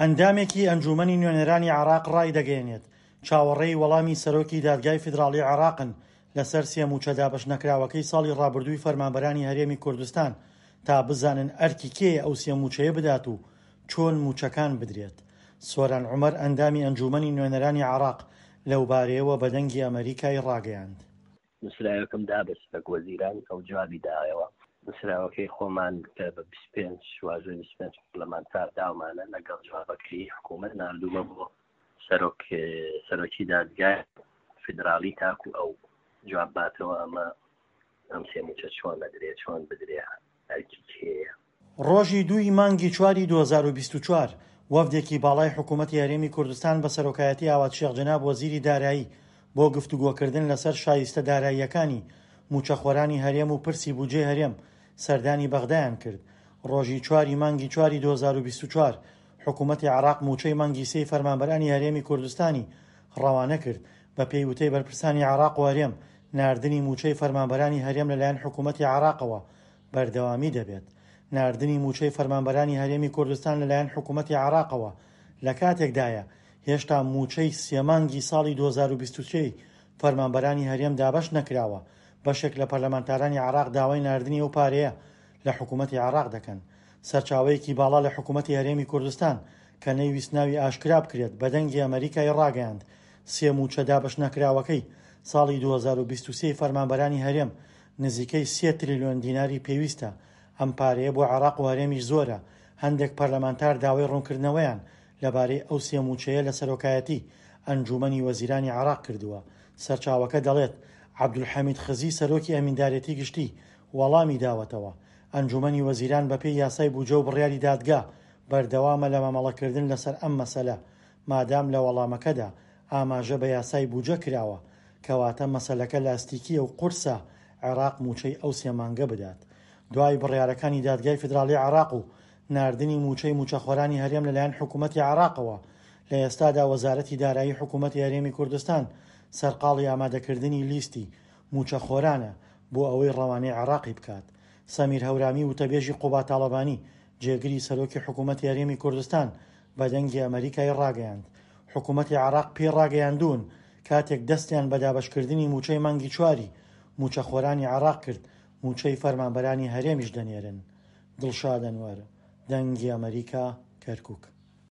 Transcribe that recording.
ئەندامێکی ئەنجوومەنی نوێنەرانی عێراق ڕایدەگەیەنێت، چاوەڕێی وەڵامی سەرۆکی دادگای فیدراڵی عێراقن لەسەر سێ مووچە دابەشنەکراوەکەی ساڵی ڕابردووی فەرمانبەرانی هەرێمی کوردستان تا بزانن ئەرکی کێیە ئەو سێ مووچەیە بدات و چۆن مووچەکان بدرێت. سۆران عومەر ئەندامی ئەنجوومەنی نوێنەرانی عێراق لەوبارەیەوە بە دەنگی ئەمەریکای ڕاگەیاند. نووسراوێکم دا بە سەرۆک وەزیران، ئەو جوابی دایەوە. نووسراوەکەی خۆمان کە بە 25 واژۆی 25 پەرلەمانتار داومانە لەگەڵ جوابەکەی حکوومەت ناردوومە بۆ سەرۆک سەرۆکی دادگای فیدراڵی تاکو ئەو جواب باتەوە ئەمە ئەم سێ مووچە چۆن ئەدرێ چۆن بدرێ ئەرکی کێیە. ڕۆژی دوو ی مانگی چواری 2024، وەفدێکی باڵای حکوومەتی هەرێمی کوردستان بە سەرۆکایەتی ئاوات شێخ جەناب وەزیری دارایی بۆ گفتوگۆکردن لەسەر شایستە داراییەکانی مووچەخۆرانی هەرێم و پرسی بودجەی هەرێم سەردانی بەغدایان کرد. ڕۆژی چوار ی مانگی چواری 2024، حکوومەتی عێراق مووچەی مانگی سێی فەرمانبەرانی هەرێمی کوردستانی ڕەوانە کرد. بەپێی وتەی بەرپرسانی عێراق و هەرێم، ناردنی مووچەی فەرمانبەرانی هەرێم لەلایەن حکوومەتی عێراقەوە بەردەوامی دەبێت. ناردنی مووچەی فەرمانبەرانی هەرێمی کوردستان لەلایەن حکوومەتی عێراقەوە لەکاتێکدایە، هێشتا مووچەی سێ مانگی ساڵی 2023 ی فەرمانبەرانی هەرێم دابەش نەکراوە، بەشێک لە پەرلەمانتارانی عێراق داوای ناردنی ئەو پارەیە لە حکوومەتی عێراق دەکەن. سەرچاوەیەکی باڵا لە حکوومەتی هەرێمی کوردستان کە نەیویست ناوی ئاشکرا بکرێت بە دەنگی ئەمەریکای ڕاگەیاند، سێ مووچە دابەشنەکراوەکەی ساڵی 2023 ی فەرمانبەرانی هەرێم نزیکەی سێ تریلیۆن دیناری پێویستە، ئەم پارەیە بۆ عێراق و هەرێمیش زۆرە، هەندێک پەرلەمانتار داوای ڕوونکردنەوەیان لەبارەی ئەو سێ مووچەیە لە سەرۆکایەتی ئەنجوومەنی وەزیرانی عێراق کردووە. سەرچاوەکە دەڵێت، عەبدولحەمید خزی سەرۆکی ئەمیندارێتی گشتی وەڵامی داوەتەوە، ئەنجوومەنی وەزیران بەپێی یاسای بوجە و بڕیاری دادگا بەردەوامە لە مامەڵەکردن لەسەر ئەم مەسەلە، مادام لە وەڵامەکەدا ئاماژە بە یاسای بوجە کراوە، کەواتە مەسەلەکە لاستیکییە و قورسە عێراق مووچەی ئەو سێ مانگە بدات. دوای بڕیارەکانی دادگای فیدراڵی عێراق و ناردنی مووچەی مووچەخۆرانی هەرێم لەلایەن حکوومەتی عێراقەوە، لە ئێستادا وەزارەتی دارایی حکوومەتی هەرێمی کوردستان سەرقاڵی ئامادەکردنی لیستی مووچەخۆرانە بۆ ئەوەی ڕەوانەی عێراقی بکات. سەمیر هەورامی وتەبێژی قوباد تاڵەبانی، جێگری سەرۆکی حکوومەتی هەرێمی کوردستان بە دەنگی ئەمەریکای ڕاگەیاند، حکوومەتی عێراق پێی ڕاگەیاندوون کاتێک دەستیان بە دابەشکردنی مووچەی مانگی چواری مووچەخۆرانی عێراق کرد، مووچەی فەرمانبەرانی هەرێمیش دەنێرن. دڵشاد ئەنوەر، دەنگی ئەمەریکا، کەرکوک.